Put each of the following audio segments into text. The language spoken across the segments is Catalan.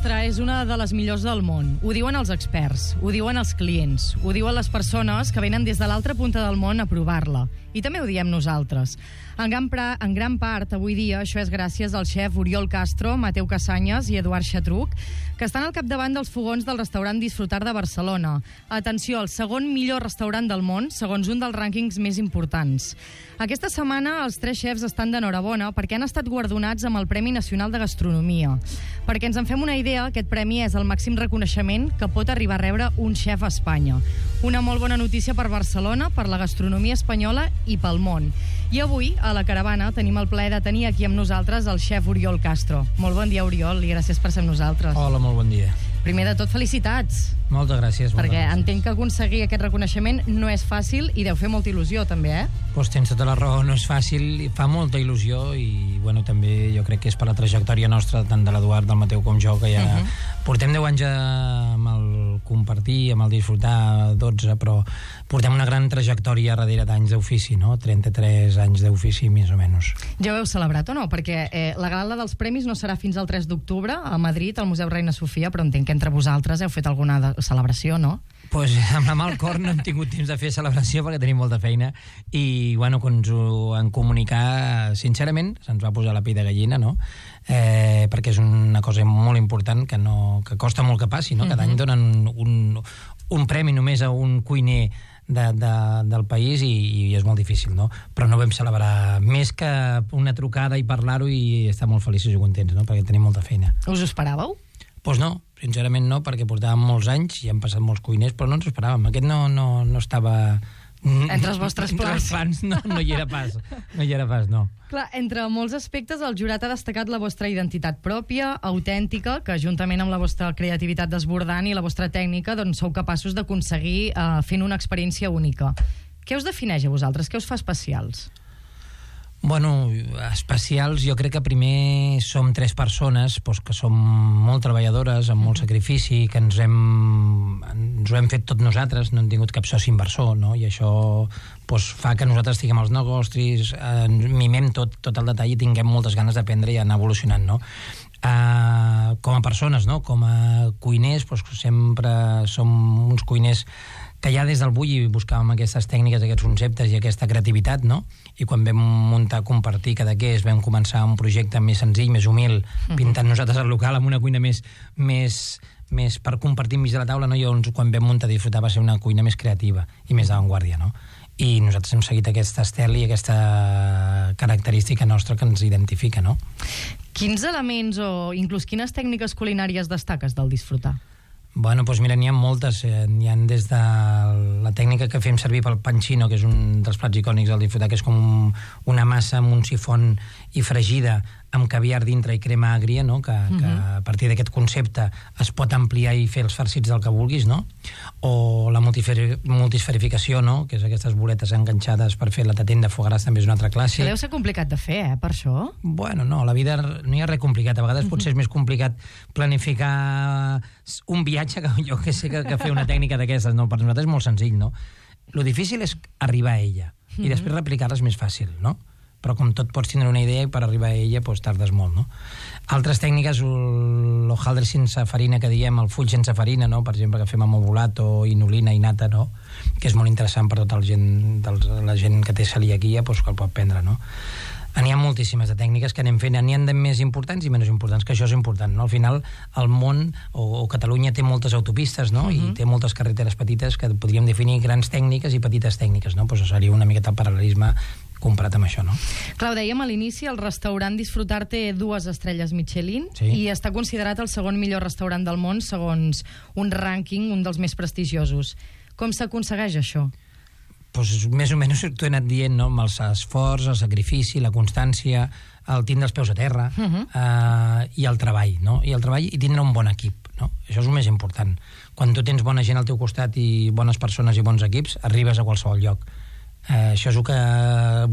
nostra és una de les millors del món. Ho diuen els experts, ho diuen els clients, ho diuen les persones que venen des de l'altra punta del món a provar-la. I també ho diem nosaltres. En gran part, avui dia, això és gràcies al xef Oriol Castro, Mateu Casanyes i Eduard Xatruc, que estan al capdavant dels fogons del restaurant Disfrutar de Barcelona. Atenció, el segon millor restaurant del món, segons un dels rànquings més importants. Aquesta setmana els 3 xefs estan d'enhorabona perquè han estat guardonats amb el Premi Nacional de Gastronomia. Perquè ens en fem una idea, aquest premi és el màxim reconeixement que pot arribar a rebre un xef a Espanya. Una molt bona notícia per Barcelona, per la gastronomia espanyola i pel món. I avui, a la caravana, tenim el plaer de tenir aquí amb nosaltres el xef Oriol Castro. Molt bon dia, Oriol, i gràcies per ser amb nosaltres. Hola, molt bon dia. Primer de tot, felicitats. Moltes gràcies. Perquè entenc que aconseguir aquest reconeixement no és fàcil i deu fer molta il·lusió, també, eh? Doncs tens tota la raó, no és fàcil, fa molta il·lusió i, bueno, també jo crec que és per la trajectòria nostra, tant de l'Eduard, del Mateu com jo, que ja portem 10 anys amb el compartir, amb el disfrutar, 12, però portem una gran trajectòria darrere d'anys d'ofici, no? 33 anys d'ofici, més o menys. Ja ho heu celebrat o no? Perquè la gala dels premis no serà fins al 3 d'octubre a Madrid, al Museu Reina Sofia, però entenc que entre vosaltres heu fet alguna celebració, no? Doncs amb la mà al cor no hem tingut temps de fer celebració perquè tenim molta feina i, bueno, quan ens ho han comunicat, sincerament, se'ns va posar la pell de gallina, no? Perquè és una cosa molt important que costa molt que passi, no? Cada any donen un premi només a un cuiner del país i és molt difícil, no? Però no vam celebrar més que una trucada i parlar-ho i estar molt feliços i contents, no? Perquè tenim molta feina. Us ho esperàveu? Doncs no, sincerament no, perquè portàvem molts anys i han passat molts cuiners, però no ens ho esperàvem. Aquest no estava... Entre els vostres plans. No hi era pas, no. Clar, entre molts aspectes, el jurat ha destacat la vostra identitat pròpia, autèntica, que juntament amb la vostra creativitat desbordant i la vostra tècnica, doncs sou capaços d'aconseguir fent una experiència única. Què us defineix a vosaltres? Què us fa especials? Bueno, especials, jo crec que primer som 3 persones que som molt treballadores, amb molt sacrifici, que ens ho hem fet tot nosaltres, no hem tingut cap soci inversor, no? I això fa que nosaltres estiguem als negocis, mimem tot el detall i tinguem moltes ganes d'aprendre i anar evolucionant, no? Com a persones, no? Com a cuiners, sempre som uns cuiners que ja des del bulli buscàvem aquestes tècniques, aquests conceptes i aquesta creativitat, no? I quan vam muntar Compartir Cadaqués vam començar un projecte més senzill, més humil, pintant nosaltres el local amb una cuina més per compartir enmig de la taula, no? I llavors quan vam muntar Disfrutar va ser una cuina més creativa i més d'avantguàrdia, no? I nosaltres hem seguit aquesta estel i aquesta característica nostra que ens identifica, no? Quins elements o inclús quines tècniques culinàries destaques del Disfrutar? Bueno, doncs mira, n'hi ha moltes. N'hi ha des de la tècnica que fem servir pel pancino, que és un dels plats icònics del Disfrutar, que és com una massa amb un sifon i fregida amb caviar dintre i crema àgria, no? Que a partir d'aquest concepte es pot ampliar i fer els farcits del que vulguis, no? O la multisferificació, no? Que és aquestes boletes enganxades per fer la tatent de foie gras, també és una altra classe. Que deu ser complicat de fer, per això? Bueno, no, la vida no hi ha res complicat. A vegades potser és més complicat planificar un viatge que jo que sé que fer una tècnica d'aquestes, no? Per nosaltres és molt senzill, no? Lo difícil és arribar a ella i després replicar-la és més fàcil, no? Però com tot pots tindre una idea i per arribar a ella tardes molt, no? Altres tècniques, l'hojaldre sense farina que diem, el full sense farina, no? Per exemple, que fem amb ovulato, inulina i nata, no? Que és molt interessant per tota la gent que té celiaquia, que el pot prendre, no? N'hi ha moltíssimes de tècniques que anem fent, n'hi ha de més importants i menys importants, que això és important, no? Al final, el món o Catalunya té moltes autopistes, no? I té moltes carreteres petites que podríem definir grans tècniques i petites tècniques, no? Doncs seria una miqueta el paral·lelisme comparat amb això, no? Clar, ho dèiem a l'inici, el restaurant Disfrutar té 2 estrelles Michelin i està considerat el segon millor restaurant del món segons un rànquing, un dels més prestigiosos. Com s'aconsegueix això? Doncs més o menys t'ho he anat dient, no? Amb els esforç, el sacrifici, la constància, el tindre els peus a terra i el treball, no? I el treball i tindre un bon equip, no? Això és el més important. Quan tu tens bona gent al teu costat i bones persones i bons equips, arribes a qualsevol lloc. Això és el que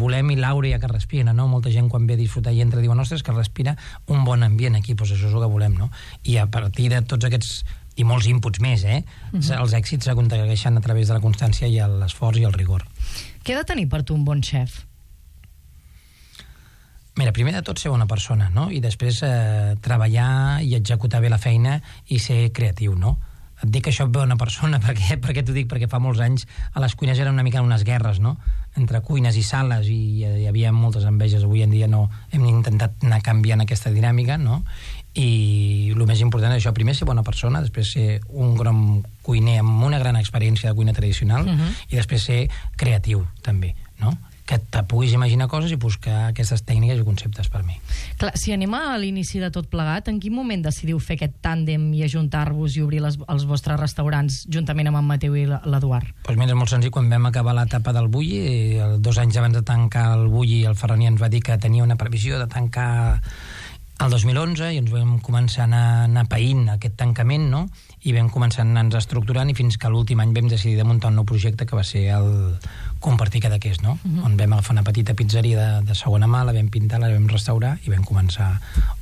volem i l'àurea que respira, no? Molta gent quan ve a disfrutar i entra diuen, ostres, que respira un bon ambient aquí, doncs això és el que volem, no? I a partir de tots aquests i molts inputs més, els èxits s'aconsegueixen a través de la constància i l'esforç i el rigor. Què ha de tenir per tu un bon xef? Mira, primer de tot ser bona persona, no? I després treballar i executar bé la feina i ser creatiu, no? Et dic això bona persona, perquè t'ho dic? Perquè fa molts anys a les cuines eren una mica unes guerres, no? Entre cuines i sales, i hi havia moltes enveges. Avui en dia no, hem intentat anar canviant aquesta dinàmica, no? I el més important és això, primer ser bona persona, després ser un gran cuiner amb una gran experiència de cuina tradicional, i després ser creatiu, també, no? Que te puguis imaginar coses i buscar aquestes tècniques i conceptes per mi. Clar, si anem a l'inici de tot plegat, en quin moment decidiu fer aquest tàndem i ajuntar-vos i obrir els vostres restaurants juntament amb en Mateu i l'Eduard? Doncs mira, és molt senzill. Quan vam acabar l'etapa del Bulli, 2 anys abans de tancar el Bulli, el Ferraní ens va dir que tenia una previsió de tancar el 2011, i ens vam començar a anar païnt aquest tancament, no? I vam començar a anar-nos estructurant, i fins que l'últim any vam decidir de muntar un nou projecte que va ser el Compartir Cadaqués, no? On vam agafar una petita pizzeria de segona mà, la vam pintar, la vam restaurar i vam començar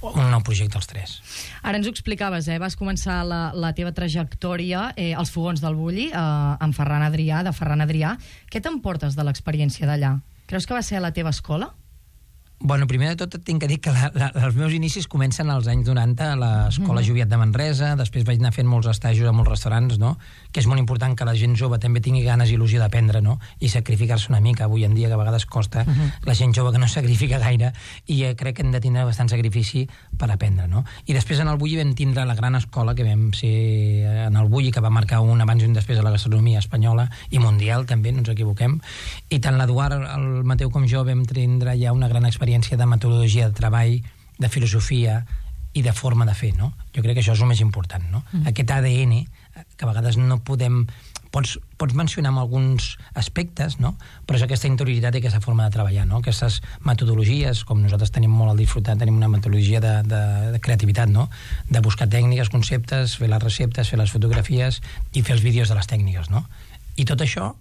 un nou projecte els 3. Ara ens ho explicaves, vas començar la teva trajectòria als fogons del Bulli, amb Ferran Adrià, de Ferran Adrià. Què t'emportes de l'experiència d'allà? Creus que va ser a la teva escola? Bueno, primer de tot et tinc que dir que els meus inicis comencen als anys 90 a l'Escola Joviat de Manresa, després vaig anar fent molts estajos a molts restaurants, no? Que és molt important que la gent jove també tingui ganes i il·lusió d'aprendre, no? I sacrificar-se una mica, avui en dia, que a vegades costa, la gent jove que no sacrifica gaire, i crec que hem de tindre bastant sacrifici per aprendre, no? I després en el Bulli vam tindre la gran escola que vam ser en el Bulli, que va marcar un abans i un després a la gastronomia espanyola i mundial, també, no ens equivoquem, i tant l'Eduard, el Mateu com jo vam tindre ja una gran experiència de metodologia de treball, de filosofia i de forma de fer, no? Jo crec que això és el més important, no? Aquest ADN, que a vegades no podem... Pots mencionar amb alguns aspectes, no? Però és aquesta interioritat i aquesta forma de treballar, no? Aquestes metodologies, com nosaltres tenim molt al Disfrutar, tenim una metodologia de creativitat, no? De buscar tècniques, conceptes, fer les receptes, fer les fotografies i fer els vídeos de les tècniques, no? I tot això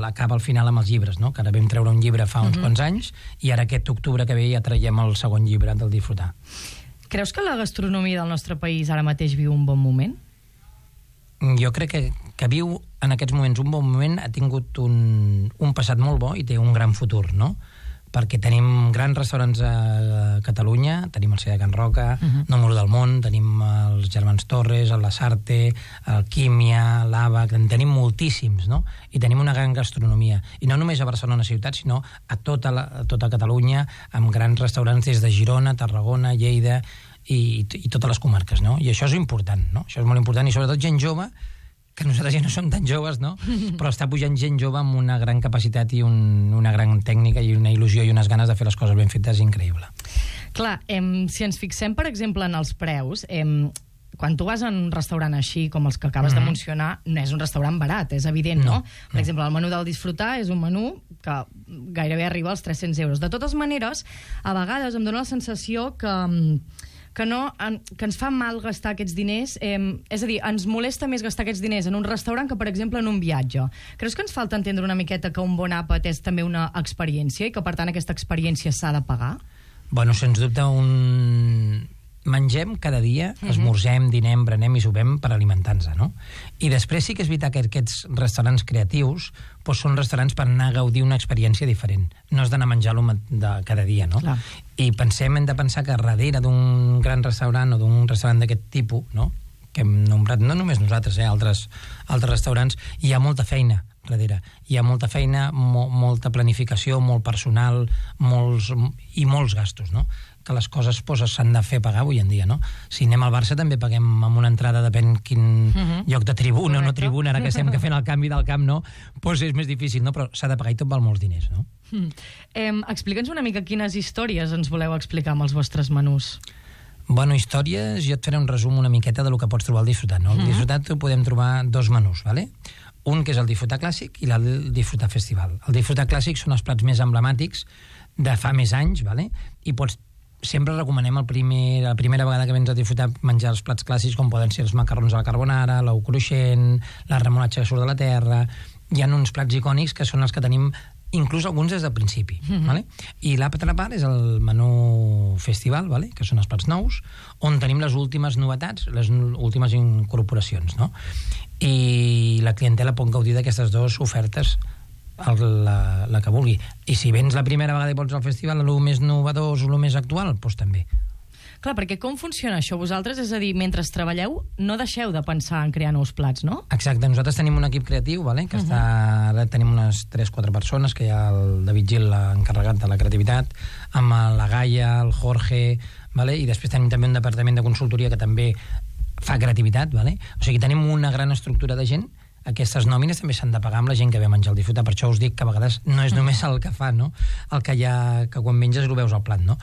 acaba al final amb els llibres, no? Que ara vam treure un llibre fa uns quants anys, i ara aquest octubre que ve ja traiem el segon llibre del Disfrutar. Creus que la gastronomia del nostre país ara mateix viu un bon moment? Jo crec que viu en aquests moments un bon moment, ha tingut un passat molt bo i té un gran futur, no? Perquè tenim grans restaurants a Catalunya, tenim el Seda Can Roca, Número del Món, tenim els Germans Torres, el Lasarte, el Químia, l'Àbac, en tenim moltíssims, no? I tenim una gran gastronomia. I no només a Barcelona ciutat, sinó a tota Catalunya, amb grans restaurants des de Girona, Tarragona, Lleida i totes les comarques, no? I això és important, no? Això és molt important, i sobretot gent jove, que nosaltres ja no som tan joves, no? Però està pujant gent jove amb una gran capacitat i una gran tècnica i una il·lusió i unes ganes de fer les coses ben fetes increïble. Clar, si ens fixem, per exemple, en els preus, quan tu vas a un restaurant així, com els que acabes de mencionar, no és un restaurant barat, és evident, no? Per exemple, el menú del Disfrutar és un menú que gairebé arriba als 300 euros. De totes maneres, a vegades em dóna la sensació que ens fa mal gastar aquests diners, és a dir, ens molesta més gastar aquests diners en un restaurant que, per exemple, en un viatge. Creus que ens falta entendre una miqueta que un bon àpat és també una experiència i que, per tant, aquesta experiència s'ha de pagar? Bueno, sens dubte, mengem cada dia, esmorzem, dinem, berenem i sopem per alimentar-nos, no? I després sí que és veritat que aquests restaurants creatius són restaurants per anar a gaudir una experiència diferent. No has d'anar a menjar-lo cada dia, no? Clar. I hem de pensar que darrere d'un gran restaurant o d'un restaurant d'aquest tipus, no? Que hem nombrat, no només nosaltres, altres restaurants, hi ha molta feina darrere. Hi ha molta feina, molta planificació, molt personal, i molts gastos, no? Que les coses s'han de fer pagar avui en dia, no? Si anem al Barça també paguem amb una entrada, depèn quin lloc de tribuna o no tribuna, ara que estem fent el canvi del camp, no? És més difícil, no? Però s'ha de pagar i tot val molts diners, no? Explica'ns una mica quines històries ens voleu explicar amb els vostres menús. Bueno, històries, jo et faré un resum una miqueta del que pots trobar al Disfrutar, no? Al Disfrutar podem trobar 2 menús, ¿vale? Un que és el Disfrutar Clàssic i l'altre el Disfrutar Festival. El Disfrutar Clàssic són els plats més emblemàtics de fa més anys, ¿vale? I sempre recomanem la primera vegada que vens a Disfrutar menjar els plats clàssics, com poden ser els macarrons a la carbonara, l'ou cruixent, la remolatxa que surt de la terra. Hi ha uns plats icònics que són els que tenim, inclús alguns des del principi. Vale? I l'altra part és el menú festival, vale? Que són els plats nous, on tenim les últimes novetats, les últimes incorporacions, no? I la clientela pot gaudir d'aquestes 2 ofertes la que vulgui. I si vens la primera vegada i vols al festival el més novedós o el més actual, doncs també. Clar, perquè com funciona això? Vosaltres, és a dir, mentre treballeu, no deixeu de pensar en crear nous plats, no? Exacte, nosaltres tenim un equip creatiu, vale? Que ara tenim unes 3-4 persones, que hi ha el David Gil, l'encarregat de la creativitat, amb la Gaia, el Jorge, vale? I després tenim també un departament de consultoria que també fa creativitat, vale? O sigui, tenim una gran estructura de gent. Aquestes nòmines també s'han de pagar amb la gent que ve a menjar al Disfrutar. Per això us dic que a vegades no és només el que fa, no? El que hi ha, que quan menges ho veus al plat, no?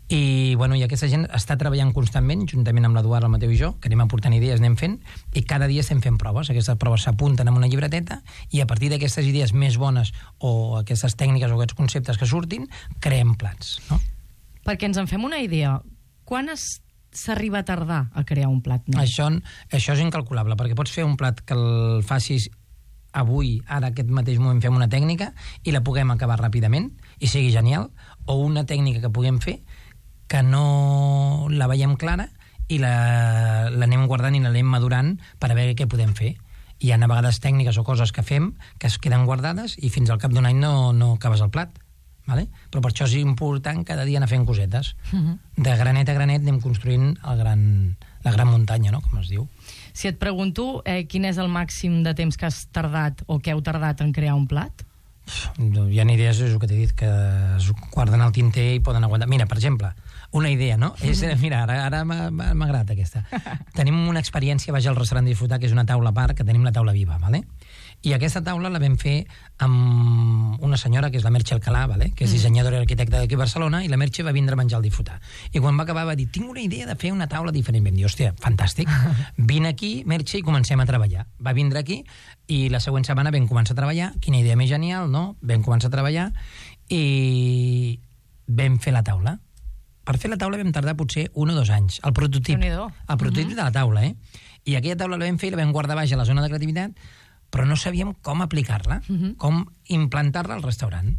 I, bueno, i aquesta gent està treballant constantment, juntament amb l'Eduard, el Mateu i jo, que anem aportant idees, anem fent, i cada dia estem fent proves. Aquestes proves s'apunten en una llibreteta i a partir d'aquestes idees més bones o aquestes tècniques o aquests conceptes que surtin, creem plats, no? Perquè ens en fem una idea. Quan s'arriba a tardar a crear un plat nou? Això és incalculable, perquè pots fer un plat que el facis avui, ara, aquest mateix moment, fem una tècnica i la puguem acabar ràpidament i sigui genial, o una tècnica que puguem fer que no la veiem clara i l'anem guardant i l'anem madurant per a veure què podem fer. Hi ha a vegades tècniques o coses que fem que es queden guardades i fins al cap d'un any no acabes el plat. Vale? Però per això és important cada dia anar fent cosetes. De granet a granet anem construint la gran muntanya, no? Com es diu. Si et pregunto quin és el màxim de temps que has tardat o que heu tardat en crear un plat? Hi ha idees, és el que t'he dit, que es guarden al tinter i poden aguantar. Mira, per exemple, una idea, no? Mira, ara m'ha agradat aquesta. Tenim una experiència, vaig al restaurant Disfrutar, que és una taula a part, que tenim la taula viva, vale? I aquesta taula la vam fer amb una senyora, que és la Merche Alcalà, vale? Que és dissenyadora i arquitecta d'aquí a Barcelona, i la Merche va vindre a menjar al Disfrutar. I quan va acabar va dir, tinc una idea de fer una taula diferent. Vam dir, hòstia, fantàstic, vine aquí, Merche, i comencem a treballar. Va vindre aquí, i la següent setmana vam començar a treballar, quina idea més genial, no? Vam començar a treballar, i vam fer la taula. Per fer la taula vam tardar potser 1 o 2 anys. El prototip de la taula, I aquella taula la vam fer i la vam guardar baix a la zona de creativitat, però no sabíem com aplicar-la, com implantar-la al restaurant.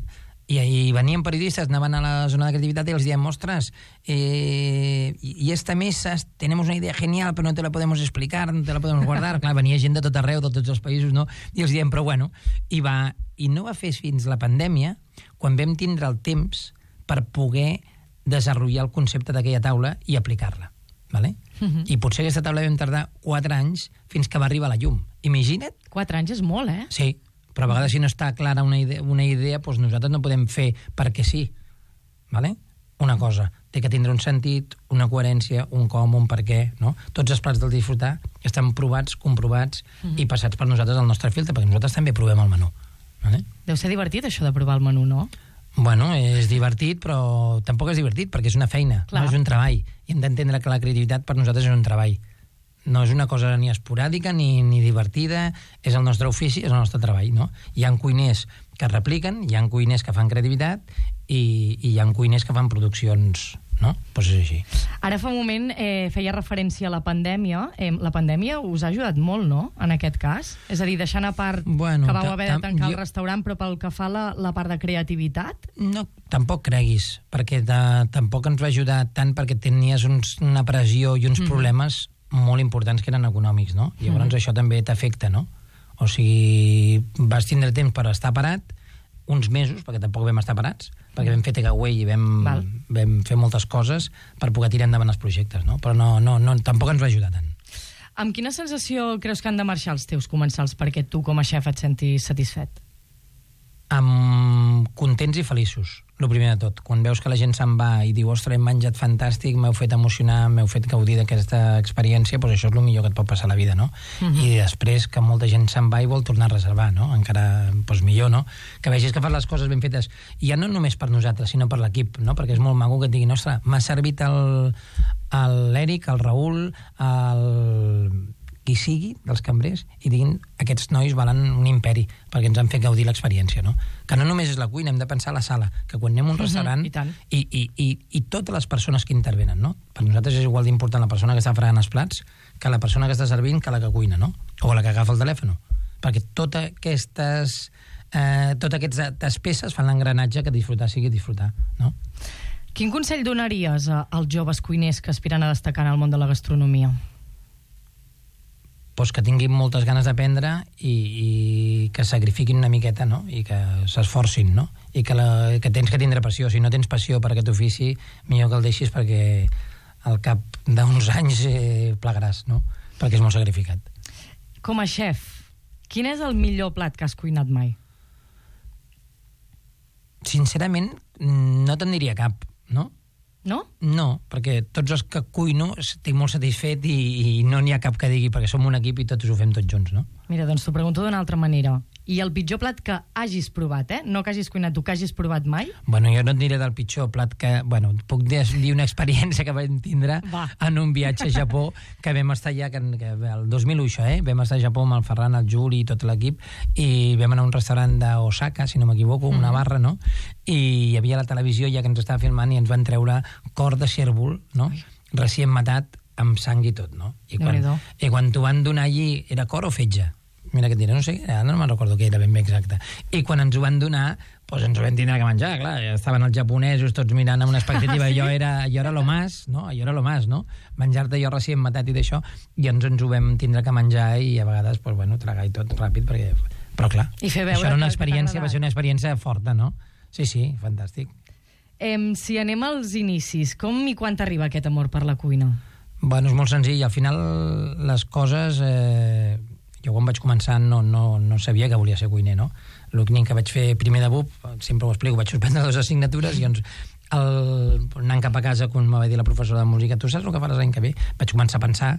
I ahí venien periodistas, anaven a la zona de creativitat i els diem, ostres, y esta mesa, tenemos una idea genial, però no te la podemos explicar, no te la podemos guardar. Clar, venia gent de tot arreu, de tots els països, no? I els diem, però bueno, i no va fer fins la pandèmia, quan vam tindre el temps per poder desenvolupar el concepte d'aquella taula i aplicar-la. Vale? I potser aquesta taula vam tardar 4 anys fins que va arribar la llum. Imagina't. 4 anys és molt, Sí, però a vegades si no està clara una idea doncs nosaltres no podem fer perquè sí. Vale? Una cosa, té que tindre un sentit, una coherència, un com, un per què, no? Tots els plats del Disfrutar estan provats, comprovats i passats per nosaltres al nostre filtre, perquè nosaltres també provem el menú. Vale? Deu ser divertit això de provar el menú, no? Bueno, és divertit, però tampoc és divertit, perquè és una feina, no és un treball. I hem d'entendre que la creativitat per nosaltres és un treball. No és una cosa ni esporàdica ni divertida, és el nostre ofici, és el nostre treball, no? Hi ha cuiners que repliquen, hi ha cuiners que fan creativitat i hi ha cuiners que fan produccions, no? Doncs és així. Ara fa un moment feia referència a la pandèmia. La pandèmia us ha ajudat molt, no?, en aquest cas? És a dir, deixant a part que vau haver de tancar el restaurant, però pel que fa a la part de creativitat? No, tampoc creguis, perquè tampoc ens va ajudar tant perquè tenies una pressió i uns problemes molt importants que eren econòmics, no? I llavors això també t'afecta, no? O sigui, vas tindre temps per estar parat, uns mesos, perquè tampoc vam estar parats, perquè vam fer takeaway i vam fer moltes coses per poder tirar endavant els projectes, no? Però no, tampoc ens va ajudar tant. Amb quina sensació creus que han de marxar els teus comensals perquè tu com a xef et sentis satisfet? Amb contents i feliços, el primer de tot. Quan veus que la gent se'n va i diu, ostres, hem menjat fantàstic, m'heu fet emocionar, m'heu fet gaudir d'aquesta experiència, doncs això és el millor que et pot passar a la vida, no? I després que molta gent se'n va i vol tornar a reservar, no? Encara, doncs millor, no? Que vegis que fas les coses ben fetes, i ja no només per nosaltres, sinó per l'equip, no? Perquè és molt maco que et diguin, ostres, m'ha servit l'Eric, el Raül, qui sigui dels cambrers, i diguin, aquests nois valen un imperi, perquè ens han fet gaudir l'experiència, no? Que no només és la cuina, hem de pensar a la sala, que quan anem a un restaurant, i totes les persones que intervenen, no? Per nosaltres és igual d'important la persona que està fregant els plats que la persona que està servint que la que cuina, no? O la que agafa el telèfon, perquè totes aquestes peces fan l'engranatge que disfrutar sigui disfrutar, no? Quin consell donaries als joves cuiners que aspiren a destacar en el món de la gastronomia? Pues que tinguin moltes ganes d'aprendre i que que sacrifiquin una miqueta, no? I que s'esforcin, no? I que tens que tindre passió. Si no tens passió per aquest ofici, millor que el deixis perquè al cap d'uns anys plegaràs, no? Perquè és molt sacrificat. Com a xef, quin és el millor plat que has cuinat mai? Sincerament, no te'n diria cap, no? No? No, perquè tots els que cuino estic molt satisfet i no n'hi ha cap que digui, perquè som un equip i tots ho fem tots junts, no? Mira, doncs t'ho pregunto d'una altra manera. I el pitjor plat que hagis provat, no que hagis cuinat tu, que hagis provat mai? Bueno, jo no et diré del pitjor plat que... Bueno, puc dir una experiència que vam tindre en un viatge a Japó, que vam estar allà, que el 2001 això, vam estar a Japó amb el Ferran, el Juli i tot l'equip, i vam anar a un restaurant d'Osaka, si no m'equivoco, una barra, no? I hi havia la televisió ja que ens estava filmant i ens van treure cor de cérvol, no? Recient matat, amb sang i tot, no? I quan t'ho van donar allí, era cor o fetge? Mira què et diré, no sé, ara no me'n recordo què era ben bé exacte. I quan ens ho van donar, doncs ens ho vam tindre que menjar, clar, estaven els japonesos tots mirant amb una expectativa, jo era lo más, no? Jo era lo más, no? Menjar-te jo recient matat i d'això, i ens ho vam tindre que menjar i a vegades, doncs, bueno, tragar i tot ràpid, perquè... Però clar, això era una experiència, va ser una experiència forta, no? Sí, fantàstic. Si anem als inicis, com i quan t'arriba aquest amor per la cuina? Bueno, és molt senzill, al final les coses... Jo quan vaig començar no sabia que volia ser cuiner, no? L'únic que vaig fer primer de BUP, sempre ho explico, vaig suspendre 2 assignatures i anant cap a casa, quan me va dir la professora de música, tu saps el que faràs l'any que ve? Vaig començar a pensar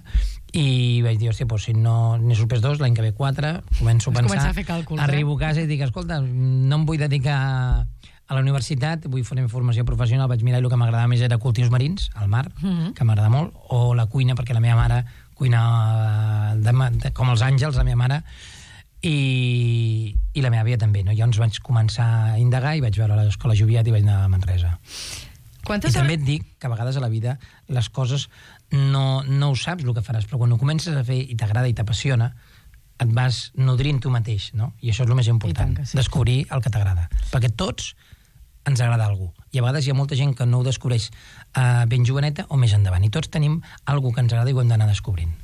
i vaig dir, hòstia, si no n'he suspès 2, l'any que ve 4, començo a pensar, a fer càlculs, arribo a casa i dic, escolta, no em vull dedicar a la universitat, vull fer formació professional, vaig mirar i el que m'agradava més era cultius marins, al mar, que m'agrada molt, o la cuina, perquè la meva mare cuina com els àngels, la meva mare, i la meva àvia també, no? Llavors vaig començar a indagar i vaig veure l'escola Joviat i vaig anar a Manresa. També et dic que a vegades a la vida les coses no ho saps el que faràs, però quan ho comences a fer i t'agrada i t'apassiona, et vas nodrint tu mateix, no? I això és el més important, descobrir el que t'agrada. Perquè tots ens agrada algú. I a vegades hi ha molta gent que no ho descobreix ben joveneta o més endavant. I tots tenim algú que ens agrada i ho hem d'anar descobrint.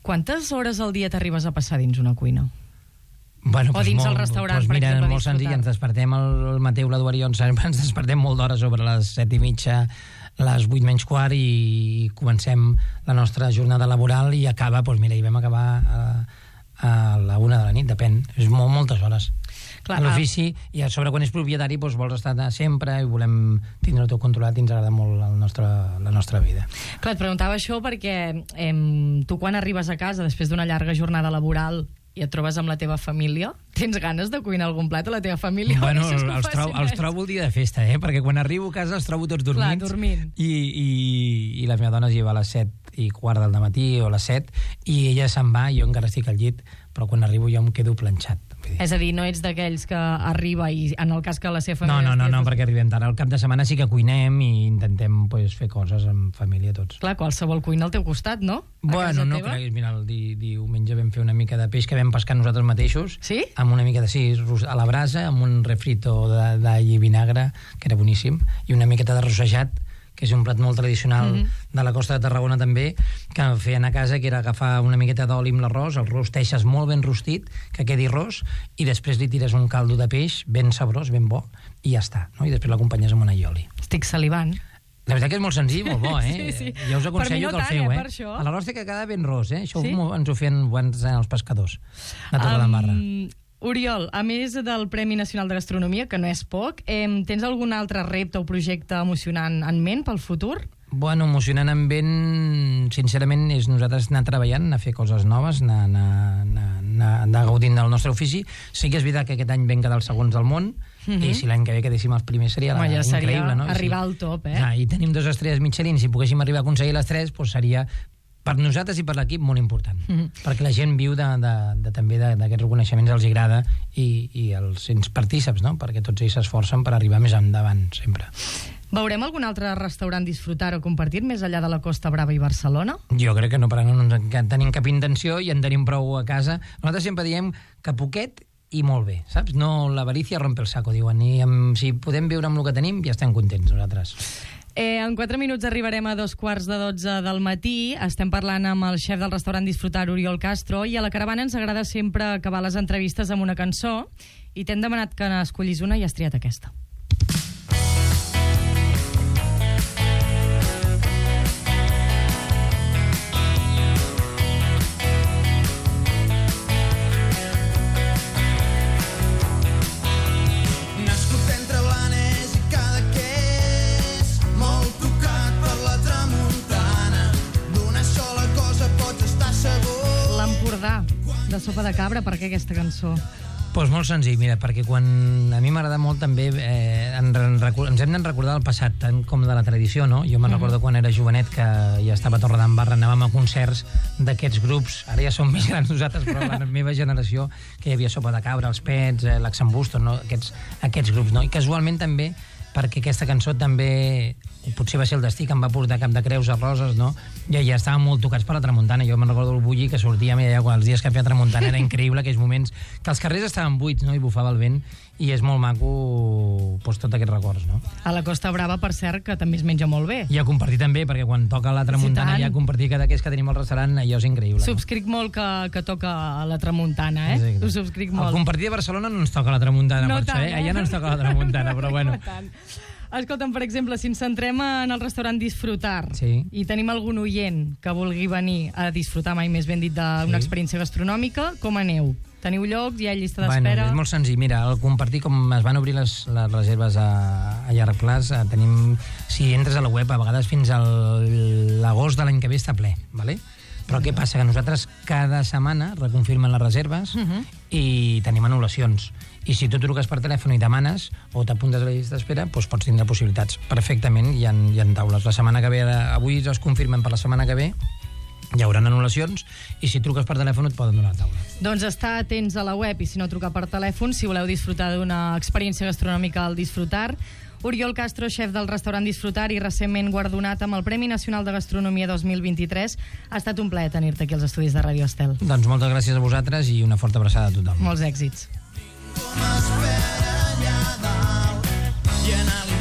Quantes hores al dia t'arribes a passar dins una cuina? Bueno, o dins el restaurant, per exemple, mira, molt senzill, ens despertem el Mateu, l'Eduard i jo, ens despertem molt d'hora sobre les 7:30, les 8:15 i comencem la nostra jornada laboral i acaba, doncs mira, i vam acabar a la 1 de la nit, depèn. És moltes hores. Clar, l'ofici, i a sobre quan és propietari doncs vols estar sempre i volem tindre-ho tot controlat i ens agrada molt la nostra vida. Clar, et preguntava això perquè tu quan arribes a casa després d'una llarga jornada laboral i et trobes amb la teva família, tens ganes de cuinar algun plat a la teva família? Bueno, els trobo el dia de festa, perquè quan arribo a casa els trobo tots dormits. Clar, dormint. I la meva dona es lleva a les 7:15 del matí o a les 7 i ella se'n va i jo encara estic al llit, però quan arribo jo em quedo planxat. És a dir, no ets d'aquells que arriba i en el cas que la seva família... No, perquè arribem tard. Al cap de setmana sí que cuinem i intentem fer coses amb família tots. Clar, qualsevol cuina al teu costat, no? Bueno, no creguis. Mira, el diumenge vam fer una mica de peix que vam pescar nosaltres mateixos. Sí? Amb una mica a la brasa, amb un refrito d'all i vinagre, que era boníssim, i una miqueta de rossejat, que és un plat molt tradicional de la costa de Tarragona també, que feien a casa, que era agafar una miqueta d'oli amb l'arròs, el rosteixes molt ben rostit, que quedi ros, i després li tires un caldo de peix ben sabrós, ben bo, i ja està, no? I després l'acompanyes amb un allioli. Estic salivant. La veritat que és molt senzill, molt bo, Sí. Ja us aconsello que el feu, per això. A l'arròs té que quedar ben ros, Això ens ho feien abans els pescadors de Torredembarra. Oriol, a més del Premi Nacional de Gastronomia, que no és poc, tens algun altre repte o projecte emocionant en ment pel futur? Bueno, emocionant en ment, sincerament, és nosaltres anar treballant, anar a fer coses noves, anar gaudint del nostre ofici. Sí que és veritat que aquest any vam quedar els segons del món, i si l'any que ve quedéssim els primers seria increïble, no? Arribar al top, I tenim 2 estrelles Michelin, si poguéssim arribar a aconseguir les 3, doncs seria per nosaltres i per l'equip molt important, perquè la gent viu també d'aquests reconeixements, els agrada i els partíceps, no? Perquè tots ells s'esforcen per arribar més endavant sempre. Veurem algun altre restaurant disfrutar o compartir més enllà de la Costa Brava i Barcelona? Jo crec que no, perquè no en tenim cap intenció i en tenim prou a casa. Nosaltres sempre diem que poquet i molt bé, saps? No, l'avarícia rompe el saco, diuen, i si podem viure amb el que tenim ja estem contents nosaltres. En 4 minuts arribarem a 2:45 del matí. Estem parlant amb el xef del restaurant Disfrutar, Oriol Castro, i a la caravana ens agrada sempre acabar les entrevistes amb una cançó, i t'hem demanat que n'escollis una i has triat aquesta. De Sopa de Cabra, per què aquesta cançó? Doncs molt senzill, mira, perquè quan a mi m'agrada molt també ens hem de recordar el passat, tant com de la tradició, no? Jo me'n recordo quan era jovenet que ja estava a Torredembarra, anàvem a concerts d'aquests grups, ara ja som més grans nosaltres, però la meva generació, que hi havia Sopa de Cabra, els Pets, l'Axambusto, no? Aquests grups, no? I casualment també, perquè aquesta cançó també, potser va ser el destí que em va portar Cap de Creus a Roses, no? Ja estàvem molt tocats per la tramuntana. Jo me'n recordo el bulli que sortíem i allà, els dies que feia tramuntana era increïble, aquells moments que els carrers estaven buits, no? I bufava el vent, i és molt maco doncs, tots aquests records, no? A la Costa Brava, per cert, que també es menja molt bé. I a compartir també, perquè quan toca la tramuntana i a compartir cada que tenim al restaurant, allò és increïble. Subscric molt que toca la tramuntana, eh? Ho subscric molt. Al compartir de Barcelona no ens toca la tramuntana, no per tant, això, allà no ens toca la tramuntana, però bueno. Escolta'm, per exemple, si ens centrem en el restaurant Disfrutar, sí, i tenim algun oient que vulgui venir a disfrutar, mai més ben dit, d'una experiència gastronòmica, com aneu? Teniu llocs? Hi ha llista d'espera? Bueno, és molt senzill. Mira, al compartir, com es van obrir les reserves a llarg plaç, tenim, si entres a la web, a vegades fins a l'agost de l'any que ve està ple, ¿vale? Però què passa? Que nosaltres cada setmana reconfirmen les reserves i tenim anul·lacions. I si tu truques per telèfon i demanes o t'apuntes a la llista d'espera, doncs pots tindre possibilitats. Perfectament, hi ha taules. La setmana que ve, avui es confirmen per la setmana que ve, hi haurà anul·lacions, i si truques per telèfon et poden donar la taula. Doncs estar atents a la web, i si no, trucar per telèfon, si voleu disfrutar d'una experiència gastronòmica al Disfrutar. Oriol Castro, xef del restaurant Disfrutar i recentment guardonat amb el Premi Nacional de Gastronomia 2023. Ha estat un plaer tenir-te aquí als estudis de Ràdio Estel. Doncs moltes gràcies a vosaltres i una forta abraçada a tothom. Molts èxits. M'espera allà dalt i anar-li